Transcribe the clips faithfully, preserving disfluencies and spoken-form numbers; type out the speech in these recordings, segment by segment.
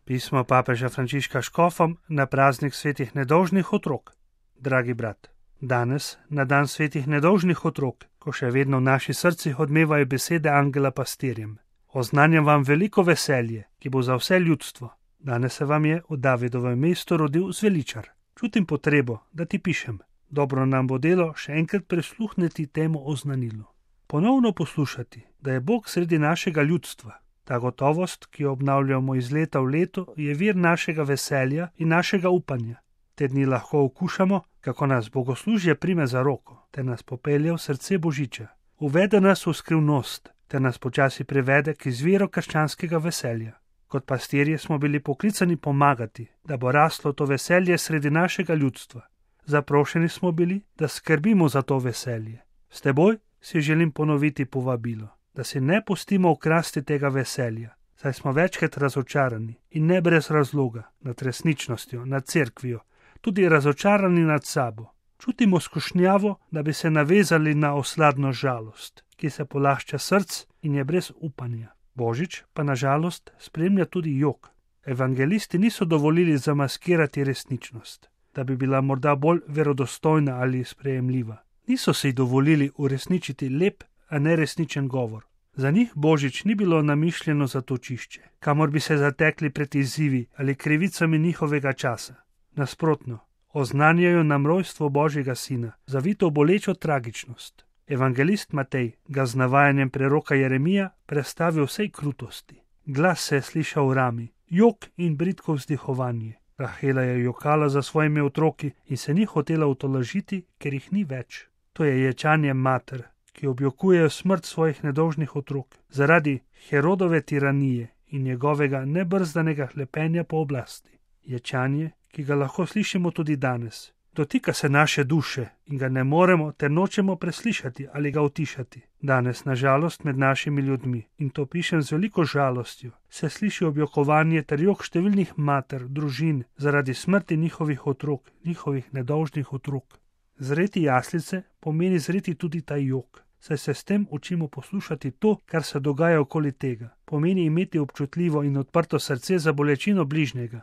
Pismo papeža Frančiška škofom na praznik svetih nedolžnih otrok. Dragi brat, danes, na dan svetih nedolžnih otrok, ko še vedno v naših srcih odmevajo besede angela pastirjem, oznanjam vam veliko veselje, ki bo za vse ljudstvo. Danes se vam je v Davidovem mestu rodil zveličar. Čutim potrebo, da ti pišem. Dobro nam bo delo še enkrat prisluhniti temu oznanilu. Ponovno poslušati, da je Bog sredi našega ljudstva. Ta gotovost, ki jo obnavljamo iz leta v leto, je vir našega veselja in našega upanja. Te dni lahko okušamo, kako nas bogoslužje prime za roko, te nas popelje v srce Božiča. Uvede nas v skrivnost, te nas počasi privede k izviru krščanskega veselja. Kot pastirji smo bili poklicani pomagati, da bo raslo to veselje sredi našega ljudstva. Zaprošeni smo bili, da skrbimo za to veselje. S teboj si želim ponoviti povabilo, da si ne pustimo ukrasti tega veselja, saj smo večkrat razočarani in ne brez razloga nad resničnostjo, nad cerkvijo, tudi razočarani nad sabo. Čutimo skušnjavo, da bi se navezali na osladno žalost, ki se polašča src in je brez upanja. Božič pa na žalost spremlja tudi jok. Evangelisti niso dovolili zamaskirati resničnost, da bi bila morda bolj verodostojna ali sprejemljiva. Niso si dovolili uresničiti lep, a neresničen govor. Za njih Božič ni bilo namišljeno za točišče, kamor bi se zatekli pred izzivi ali krivicami njihovega časa. Nasprotno, oznanjajo nam rojstvo Božjega sina, zavito bolečo tragičnost. Evangelist Matej ga z navajanjem preroka Jeremija prestavi vsej krutosti. Glas se je slišal v rami, jok in bridko vzdihovanje. Rahela je jokala za svojimi otroki in se ni hotela utolažiti, ker jih ni več. To je ječanje mater, ki objokujejo smrt svojih nedolžnih otrok zaradi Herodove tiranije in njegovega nebrzdanega hlepenja po oblasti. Ječanje, ki ga lahko slišimo tudi danes. Dotika se naše duše in ga ne moremo ter nočemo preslišati ali ga utišati. Danes, na žalost, med našimi ljudmi, in to pišem z veliko žalostjo, se sliši objokovanje ter jok številnih mater, družin, zaradi smrti njihovih otrok, njihovih nedolžnih otrok. Zreti jaslice pomeni zreti tudi ta jok, saj se s tem učimo poslušati to, kar se dogaja okoli tega. Pomeni imeti občutljivo in odprto srce za bolečino bližnjega,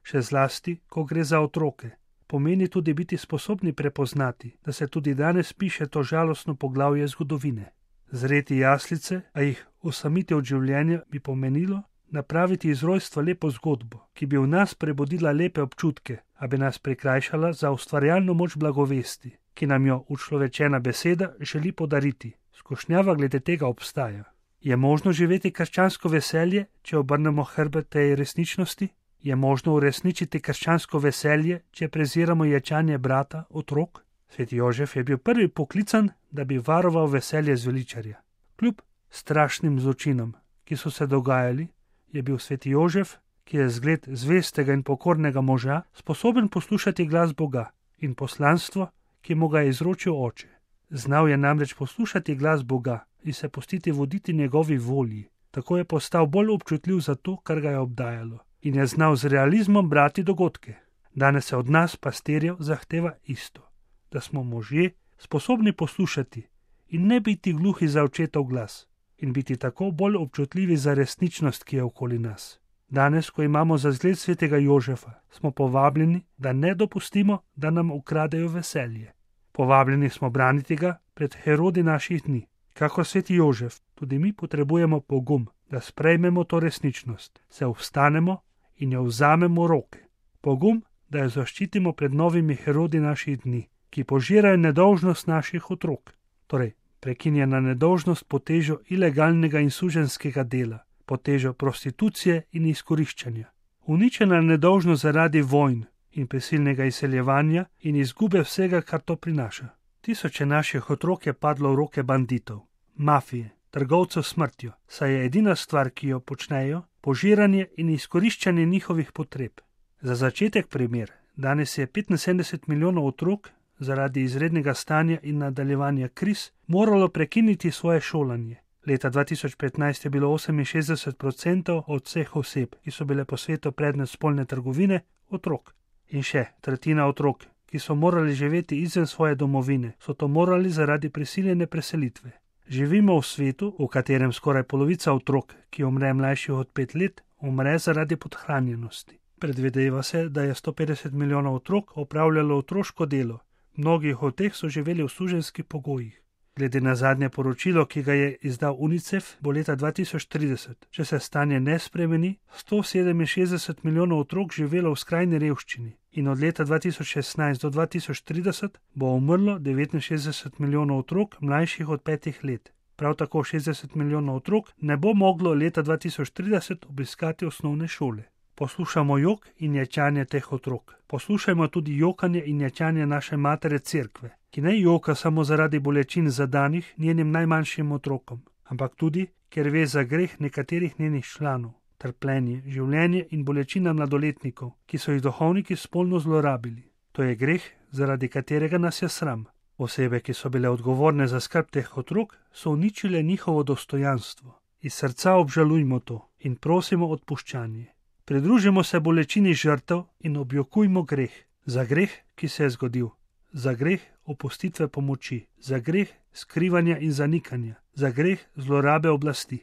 še zlasti, ko gre za otroke. Pomeni tudi biti sposobni prepoznati, da se tudi danes piše to žalostno poglavje zgodovine. Zreti jaslice, a jih osamiti od življenja, bi pomenilo napraviti iz rojstva lepo zgodbo, ki bi v nas prebudila lepe občutke, a bi nas prikrajšala za ustvarjalno moč blagovesti, ki nam jo učlovečena beseda želi podariti. Skušnjava glede tega obstaja. Je možno živeti krščansko veselje, če obrnemo hrbet tej resničnosti? Je možno uresničiti krščansko veselje, če preziramo ječanje brata, otrok? Sveti Jožef je bil prvi poklican, da bi varoval veselje zveličarja. Kljub strašnim zločinom, ki so se dogajali, je bil sveti Jožef, ki je zgled zvestega in pokornega moža, sposoben poslušati glas Boga in poslanstvo, ki mu ga je izročil oče. Znal je namreč poslušati glas Boga in se pustiti voditi njegovi volji. Tako je postal bolj občutljiv za to, kar ga je obdajalo, in je znal z realizmom brati dogodke. Danes se od nas, pastirjev, zahteva isto, da smo možje sposobni poslušati in ne biti gluhi za očetov glas in biti tako bolj občutljivi za resničnost, ki je okoli nas. Danes, ko imamo za zgled svetega Jožefa, smo povabljeni, da ne dopustimo, da nam ukradejo veselje. Povabljeni smo braniti ga pred Herodi naših dni. Kakor sveti Jožef, tudi mi potrebujemo pogum, da sprejmemo to resničnost, se vstanemo in jo vzamemo v roke. Pogum, da jo zaščitimo pred novimi Herodi naših dni, ki požirajo nedolžnost naših otrok. Torej, prekinjena nedolžnost pod težo ilegalnega in suženjskega dela, pod težo prostitucije in izkoriščanja. Uničena nedolžnost zaradi vojn in prisilnega izseljevanja in izgube vsega, kar to prinaša. Tisoče naših otrok je padlo v roke banditov, mafije, trgovcev s smrtjo, saj je edina stvar, ki jo počnejo, požiranje in izkoriščanje njihovih potreb. Za začetek primer, danes je petinsedemdeset milijonov otrok zaradi izrednega stanja in nadaljevanja kriz moralo prekiniti svoje šolanje. Leta dva tisoč petnajst je bilo oseminšestdeset odstotkov od vseh oseb, ki so bile po svetu predmet spolne trgovine, otrok. In še tretjina otrok, ki so morali živeti izven svoje domovine, so to morali zaradi prisiljene preselitve. Živimo v svetu, v katerem skoraj polovica otrok, ki umre mlajših od pet let, umre zaradi podhranjenosti. Predvideva se, da je sto petdeset milijonov otrok opravljalo otroško delo. Mnogi od teh so živeli v suženjskih pogojih. Glede na zadnje poročilo, ki ga je izdal UNICEF, bo leta dva tisoč trideset, če se stanje ne spremeni, sto sedeminšestdeset milijonov otrok živelo v skrajni revščini in od leta dva tisoč šestnajst do dva tisoč trideset bo umrlo devetinšestdeset milijonov otrok mlajših od petih let. Prav tako šestdeset milijonov otrok ne bo moglo leta dva tisoč trideset obiskati osnovne šole. Poslušamo jok in ječanje teh otrok. Poslušajmo tudi jokanje in ječanje naše matere Cerkve, ki ne joka samo zaradi bolečin zadanih njenim najmanjšim otrokom, ampak tudi, ker ve za greh nekaterih njenih članov, trpljenje, življenje in bolečina mladoletnikov, ki so jih duhovniki spolno zlorabili. To je greh, zaradi katerega nas je sram. Osebe, ki so bile odgovorne za skrb teh otrok, so uničile njihovo dostojanstvo. Iz srca obžalujmo to in prosimo odpuščanje. Pridružimo se bolečini žrtev in objokujmo greh. Za greh, ki se je zgodil. Za greh opustitve pomoči. Za greh skrivanja in zanikanja. Za greh zlorabe oblasti.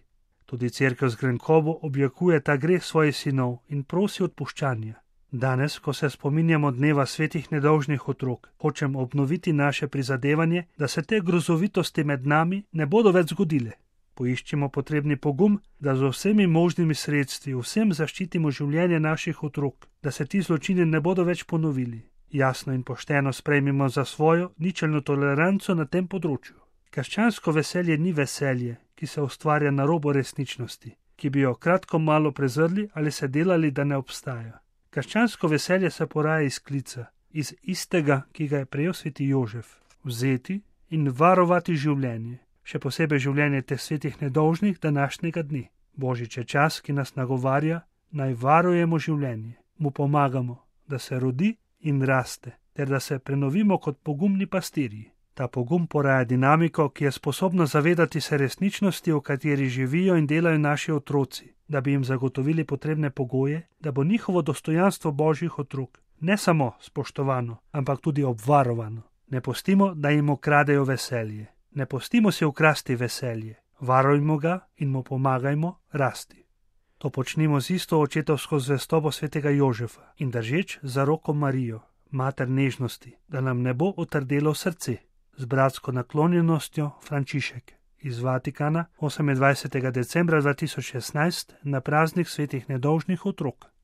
Tudi cerkev z grenkobo objokuje ta greh svojih sinov in prosi odpuščanja. Danes, ko se spominjamo dneva svetih nedolžnih otrok, hočem obnoviti naše prizadevanje, da se te grozovitosti med nami ne bodo več zgodile. Poiščimo potrebni pogum, da z vsemi možnimi sredstvi vsem zaščitimo življenje naših otrok, da se ti zločini ne bodo več ponovili. Jasno in pošteno sprejmimo za svojo ničelno toleranco na tem področju. Krščansko veselje ni veselje, ki se ustvarja na robu resničnosti, ki bi jo kratko malo prezrli ali se delali, da ne obstaja. Krščansko veselje se poraja iz klica, iz istega, ki ga je prejel sveti Jožef, vzeti in varovati življenje. Še posebej življenje teh svetih nedolžnih današnjega dne. Božič je čas, ki nas nagovarja, naj varujemo življenje, mu pomagamo, da se rodi in raste, ter da se prenovimo kot pogumni pastirji. Ta pogum poraja dinamiko, ki je sposobna zavedati se resničnosti, v kateri živijo in delajo naši otroci, da bi jim zagotovili potrebne pogoje, da bo njihovo dostojanstvo božjih otrok ne samo spoštovano, ampak tudi obvarovano. Ne pustimo, da jim ukradejo veselje. Ne pustimo si ukrasti veselje, varujmo ga in mu pomagajmo rasti. To počnimo z isto očetovsko zvestobo svetega Jožefa in držeč za roko Marijo, mater nežnosti, da nam ne bo otrdelo srce. Z bratsko naklonjenostjo Frančišek iz Vatikana osemindvajsetega decembra dva tisoč šestnajst na praznik svetih nedolžnih otrok.